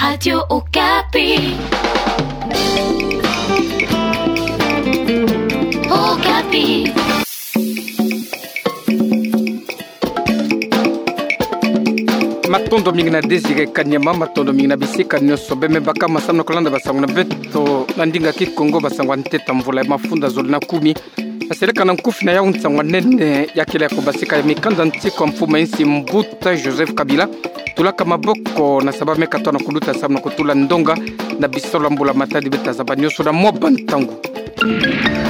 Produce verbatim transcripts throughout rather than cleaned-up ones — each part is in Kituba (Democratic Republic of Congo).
Radio Okapi. Okapi. Matondo mingi na Désiré Kanyama, matondo mingi na bisika nyonso bemebaka masamu na kolanda basango na beto na ndinga Kikongo, basango ya nteta mvula ya mafunda zole na kumi. Asereka na nkufi na yau nsangu ya nene ya kele ya kobasika ya mikanda ntiku ya mfumu ya insi mbuta Joseph Kabila. Tulaka maboko na sa bameka tona kuluta samu na kotula ndonga na bisalu ya mbula matadi beta zaba nyonso na mwa bantangu.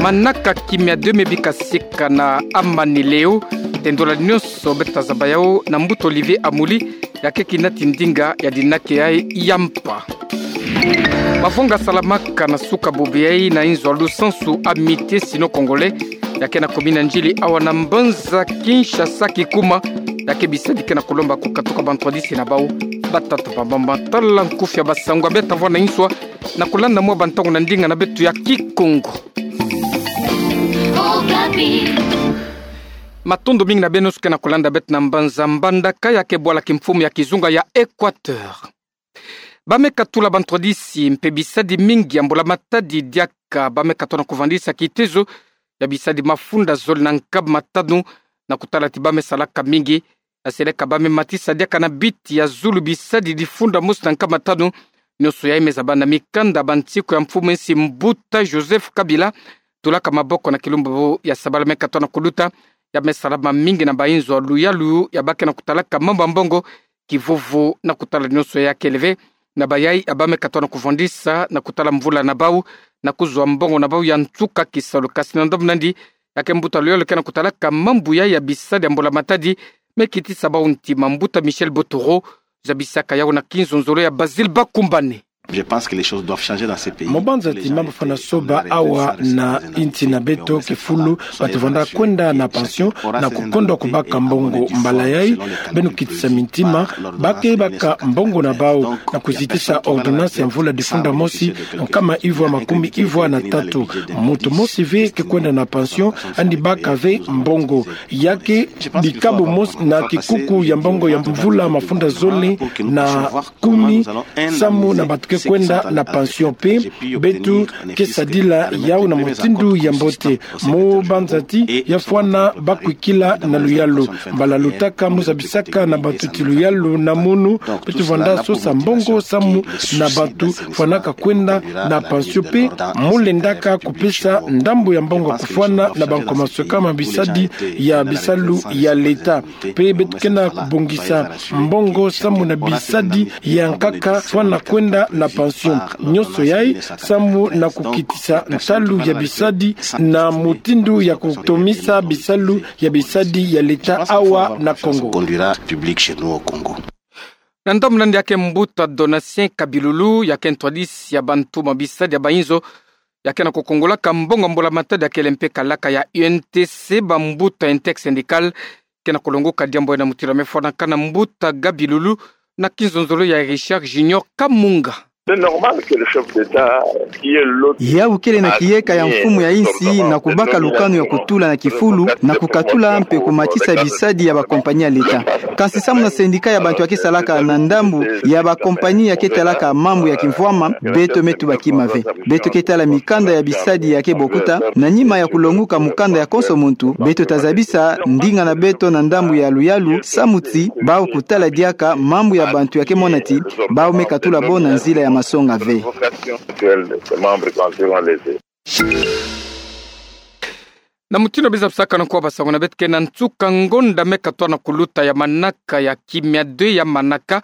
Manaka kimia deux me bika sika na Amani Leo, tendola nyonso beta zaba yau na mbuta Olivier Amuli, ya ke kinati ndinga ya dinake yai ya mpa. Mavonga salamaka na suka bobo yai na inzo ya lusansu Amitié Sino-Congolais, ya ke na commune ya Ndjili awa na mbanza Kinshasa Kikuma, ya ke bisadi ke na kolomba kokatuka bantwadisi na bau. Batata bambamba, tala nkufi ya basango ya beta vwa na inswa, na kolanda mwa bantangu na ndinga na beto ya Kikongo. Matondo mingi na beno nyonso ke na kolanda beto na mbanza Mbandaka ya ke bwala kimfumu ya kizunga ya Équateur. Bameka tula bantwadisi mpe bisadi mingi ya mbula matadi diaka bameka tona kovandisa kitezo ya bisadi mafunda zole na nkama tanu, na kotala ti bame salaka mingi. Asereka bame matisa diaka na biti ya zulu bisadi difunda mosi na nkama tanu. Nyonso yai me zaba na mikanda ya bantiku ya mfumu ya insi mbuta Joseph Kabila. Tulaka maboko na kilumbu ya sabala meka tona koluta, ya me salama mingi na bainzo ya luyalu ya ba ke na kotalaka mambu ya mbongo, kivuvu na kotala nyonso ya kele ve, na bayai ya bameka tona kovandisa na kotala mvula na bau, na kozwa mbongo na bau ya nsuka kisalu. Kasi na ndambu nandi, ya ke mbuta luyalu ke na kotalaka mambu yai ya bisadi ya mbula matadi, me kitisa bau ntima, mbuta Michel Botoro, zabisaka yau na kinzonzolo ya Basile Bakumbane. Je pense que les choses doivent changer dans ce pays. Mo banza ti mambu fwana soba awa na insi na beto, kifulu batu vanda kwenda na pension na kukondwa kubaka mbongo. Mbala yai, beno kitisa mintima, ba ke baka mbongo na bau na kuzitisa ordonnance ya mvula difunda mosi, nkama ivwa makumi ivwa na tatu. Muntu mosi ve ke kwenda na pension, andi baka ve mbongo. Ya ke bikabu mosi na kikuku ya mbongo ya mvula mafunda zole na kumi, samu na batu ke kwenda na pension. Mpe beto ke sadila yau na mutindu ya mbote. Mo banza ti ya fwana bakwikila na luyalu. Mbala lutaka mo zabisaka na batu ti luyalu na munu, beto vanda sosa mbongo samu na batu fwanaka kwenda na pension. Mpe mo lendaka kupesa ndambu ya mbongo kufwana na bankomasweka ma bisadi ya bisalu ya leta. Mpe beto ke na kubongisa mbongo samu na bisadi ya nkaka fwana kwenda na pension. Nyonso yai samu na kukitisa nsalu ya bisadi na mutindu ya kutomisa bisalu ya bisadi ya leta awa na Kongo. Conduira public chez nous au Congo. Na ndambu nandi ya ke mbuta Donatien Kabilulu, ya ke ntwadisi ya bantu ma bisadi ya bainzo, ya ke na kukongolaka mbongo mbula matadi ya kele mpe kalaka ya U N T C, bambuta intersyndicale, ke na kulongoka diambu yai na mutindu ya me fwanaka na mbuta Kabilulu, na kinzonzolo ya Richard Junior Kamunga. C'est normal que le chef d'État, qui est l'autre... Yau kele na kiyeka ya mfumu ya insi na kubaka lukanu ya kutula na kifulu, na kukatula mpe kumatisa bisadi ya bakompani ya leta. Kansi samu na syndicat ya bantu ya ke salaka na ndambu ya bakompani ya ke talaka mambu ya kimvwama, beto me tuba kima ve. Beto ke tala mikanda ya bisadi ya ke bokuta, na nima ya kulongoka mukanda ya konso muntu, beto ta zabisa ndinga na beto na ndambu ya luyalu, samu ti bau kutala diaka mambu ya bantu ya ke mona ti bau me katula bo na nzila ya masonga ve. Na mutindu ya bizabisaka na nkuwa basango na beto ke na nsuka ngonda me katona kuluta ya manaka ya kimia deux ya manaka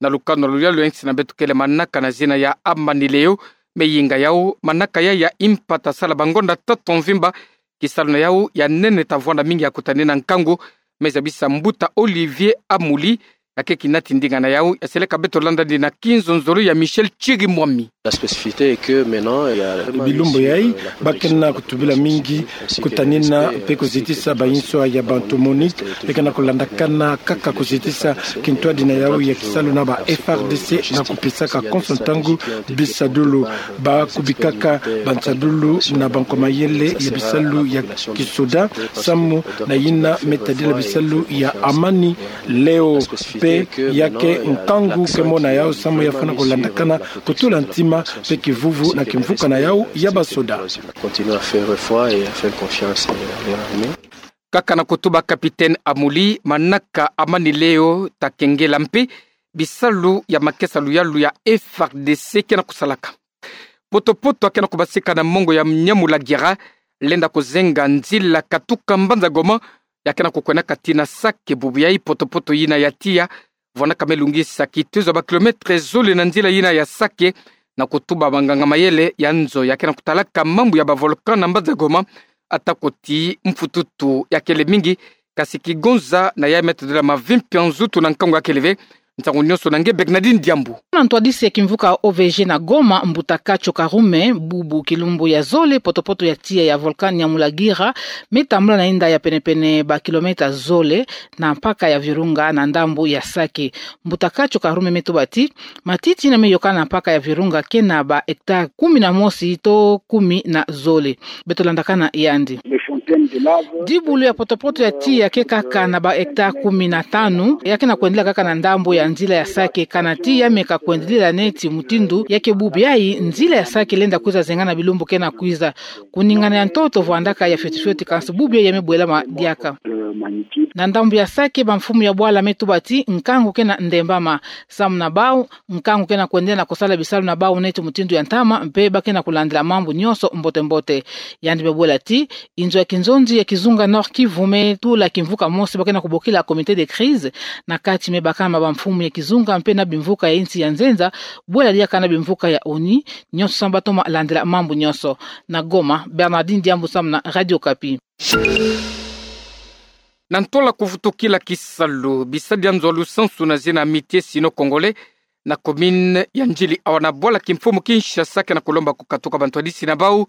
na lukanu ya luyalu ya insi na beto kele manaka na zina ya Amani Leo. Me yinga yau, manaka yai ya impata sala bangonda tatu mvimba. Kisalu na yau ya nene ta vwanda mingi ya kutanina nkangu. Me zabisa mbuta Olivier Amuli, ya ke kinati ndinga na yau, ya seleka beto landa ndi na kinzonzolo ya Michel Chirimwami. La spécificité est que maintenant, il y a... Bilumbu yai, ba ke na kutubila mingi kutanina mpe kuzitisa bainzo ya bantu. MONUC ke na kulandakana kaka kuzitisa kintwadi na yau ya kisalu na ba F A R D C na kupesaka konso ntangu bisadulu. Ba kubikaka bansadulu na bankomayele ya bisalu ya kisoda, samu na yina me tadila bisalu ya Amani Leo. Pe ya ke nkangu ke mona yau samu ya fana ko landakana kutula ntima pe kivuvu na kimvuka na yau ya basoda. Kaka na kutuba Capitaine Amuli, manaka Amani Leo Takengela mpe bisalu ya makesa luyalu ya F R D C ke na kusalaka. Potopoto ya ke na kubasika na mongo ya Nyamulagira lenda kuzenga nzila katuka mbanza Goma, ya ke na kukwendaka tii na Sake. Bubu yai potopoto yina ya tiya vwandaka me lungisa kitezo ya ba kilomètre zole na nzila yina ya Sake. Na kutuba banganga mayele ya nzo ya ke na kutalaka mambu ya ba volcan na mbanza Goma, atako ti mfututu ya kele mingi, kasi kigonza na yai me tadila mavimpi ya nzutu na nkangu ya kele ve. Nsangu nionso na nge Bernardine Diambu. Na ntwadisi ya kimvuka O V G na Goma, mbuta Kacho Karume, bubu kilumbu ya zole potopoto ya tiya ya volcan Nyamulagira me tambula na inda ya penepene ba kilomètre zole na mpaka ya Virunga na ndambu ya Sake. Mbuta Kacho Karume me tuba ti matiti yina me yokana na mpaka ya Virunga ke na ba hectare kumi na mosi to kumi na zole. Beto landakana yandi. Dibulu ya potopoto ya tiya ke kaka na ba hectare kumi na tanu, ya ke na kwendila kaka na ndambu ya nzila ya Sake, kana tiya me ka kwendila neti mutindu ya ke bubu yai nzila ya Sake lenda kwiza zenga na bilumbu ke na kwiza. Kuningana ya ntoto vwandaka ya fioti fioti, kansi bubu yai ya me bwelama diaka. Na ndambu ya Sake, bamfumu ya bwala me tuba ti nkangu ke na ndembama samu na bau, nkangu ke na kwendela na kusala bisalu na bau neti mutindu ya ntama, mpe ba ke na kulandila mambu nionso mbote mbote. Yandi me bwela ti inzo ya kinzonzi ya kizunga Nord-Kivu me tula kimvuka mosi ba ke na kubokila comité de crise, na kati me bakama bamfumu ya kizunga mpe na bimvuka ya insi ya nzenza, bwela diaka na bimvuka ya ONU, nionso samu ba toma landila mambu nionso. Na Goma, Bernardine Diambu samu na Radio Okapi. Na ntola kuvutukila kisalu, bisadi ya nzo lusansu na zina Amitié Sino-Congolais na commune ya Ndjili, awa na bwala kimfumu Kinshasa, ke na kulomba kukatuka bantwadisi na bau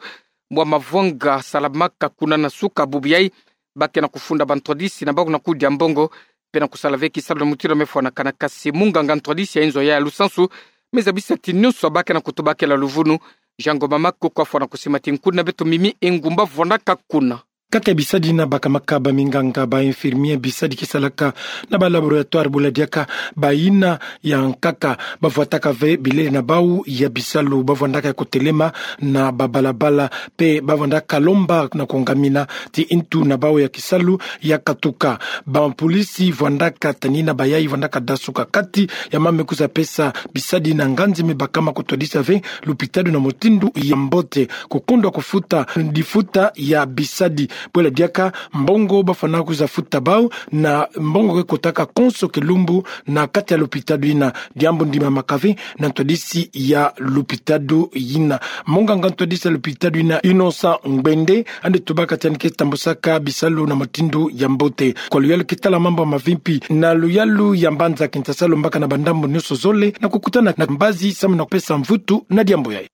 bwa mavwanga salamaka kuna na suka bubu yai. Ba ke na kufunda bantwadisi na bau na kudia mbongo, mpe na kusala ve kisalu na mutindu me fwanakana, kasi munganga ntwadisi ya inzo ya lusansu me zabisa ti nionso ba ke na kutuba kela luvunu. Jean Ngoma Makoko afwana kusimati nkuni na beto Mimi Engumba vwandaka kuna. Kati ya bisadi yina bakamaka ba minganga, ba infirmier, bisadi ke salaka na ba laboratoire, bwela diaka bayina ya nkaka ba vwataka ve bilele na bau ya bisalu, ba vwandaka ya kutelema na ba balabala, mpe ba vwandaka lomba na kungamina ti ntu na bau ya kisalu ya katuka. Bampolisi vwandaka tanina bayai, vwandaka dasuka kati ya mama me kwiza pesa bisadi yina nganzi me bakama kutwadisa ve lupitalu na mutindu ya mbote, kukundwa kufuta difuta ya bisadi. Bwela diaka mbongo ba fwana kwiza futa bau na mbongo ke kotaka konso kilumbu na kati ya lupitalu yina. Diambu ndimamaka ve na ntwadisi ya lupitalu yina. Munganga ntwadisi ya lupitalu yina, Innocent Ngbende, yandi tubaka ti yandi ke tambusaka bisalu na mutindu ya mbote. Kwa luyalu ke tala mambu mavimpi na luyalu ya mbanza Kinshasa, lombaka na bandambu nionso zole na kukutana na mbazi samu na kupesa mvutu na diambu yai.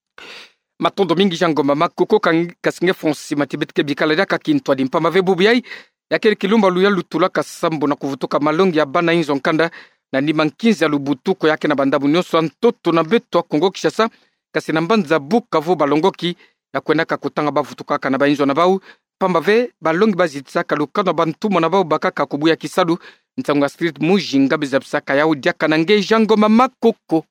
Matondo mingi Jean Ngoma Makoko. Kasi nge Francis Matibet ke bikala diaka kintwadi mpamba ve bubu yai ya kele kilumbu ya luyalu tulaka sambu na kuvutuka malongi ya bana inzo nkanda na nima nkinzi ya lubutuku ya ke na bandambu nionso ya ntoto na beto ya Kongo Kinshasa, kasi na mbanza Bukavu, balongoki ya kwendaka kutanga bavutukaka na bainzo na bau, mpamba ve balongi bazitisaka lukanu ya bantumwa na bau bakaka kubuya kisalu. Nsangu ya Astrid Mujinga me zabisaka yau diaka na nge Jean Ngoma Makoko.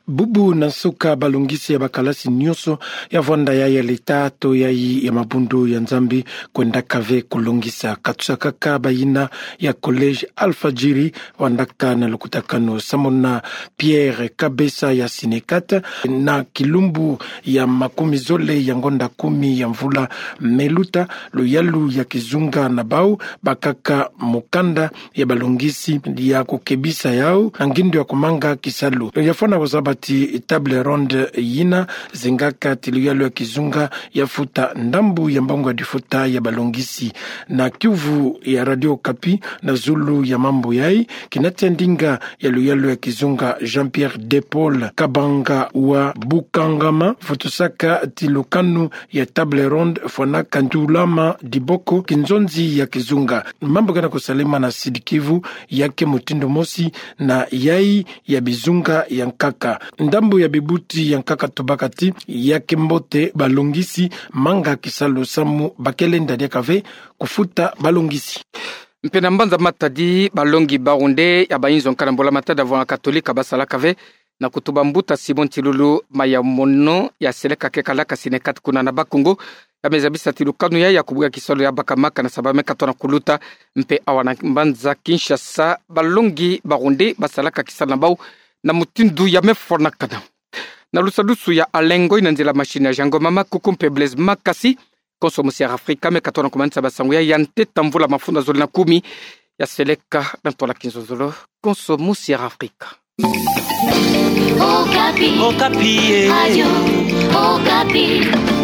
Bubu na nsuka, balongisi ya bakalasi nionso ya vwanda yai ya leta to yai ya mabundu ya Nzambi kwendaka ve kulongisa. Katusakaka bayina ya collège Alfajiri, vwandaka na lukutakanu samu na Pierre Kabesa ya Synecat, na kilumbu ya makumi zole ya ngonda kumi ya mvula me luta, luyalu ya kizunga na bau bakaka mukanda ya balongisi ya kukebisa yau na ngindo ya kumanga kisalu. Ya fwana kuzaba ti table ronde yina zengaka ti luyalu ya kizunga ya futa ndambu ya mbongo ya difuta ya balongisi. Na kiuvu ya Radio Okapi, na zulu ya mambu yai, kina tia ndinga ya luyalu ya kizunga Jean-Pierre De Paul Kabanga wa Bukangama vutusaka ti lukanu ya table ronde fwanaka ntulama diboko kinzonzi ya kizunga. Mambu ke na kusalema na Sud-Kivu ya ke mutindu mosi na yai ya bizunga ya nkaka. Ndambu ya bibuti ya nkaka tubaka ti ya ke mbote balongisi manga kisalu samu ba ke lenda diaka ve kufuta balongisi. Mpe na mbanza Matadi, balongi ba runde ya bayinzo nkana mbula matadi ya vwanga Katolika basalaka ve na kutuba mbuta Simon Tilulu Mayamono ya seleka keka la kasi ne kati kuna na Bas-Congo, ya meza bisati lukanu ya ya kubuka kisalu ya baka maka na saba me katona kuluta. Mpe awa na mbanza Kinshasa, balongi ba runde basalaka kisalu na bau na mutindu ya mefwanakana. Na lusadusu ya Alain Ngoy, na nzila machine ya Jean Ngoma Makuku mpe Blaise Makasi, Konso Musiala Afrika me katona kumanisa basangu ya ya nteta mvula mafunda zole na kumi. Ya seleka na ntwala kinzonzolo. Konso Musiala Afrika. Okapi. Okapi, eh. Radio Okapi.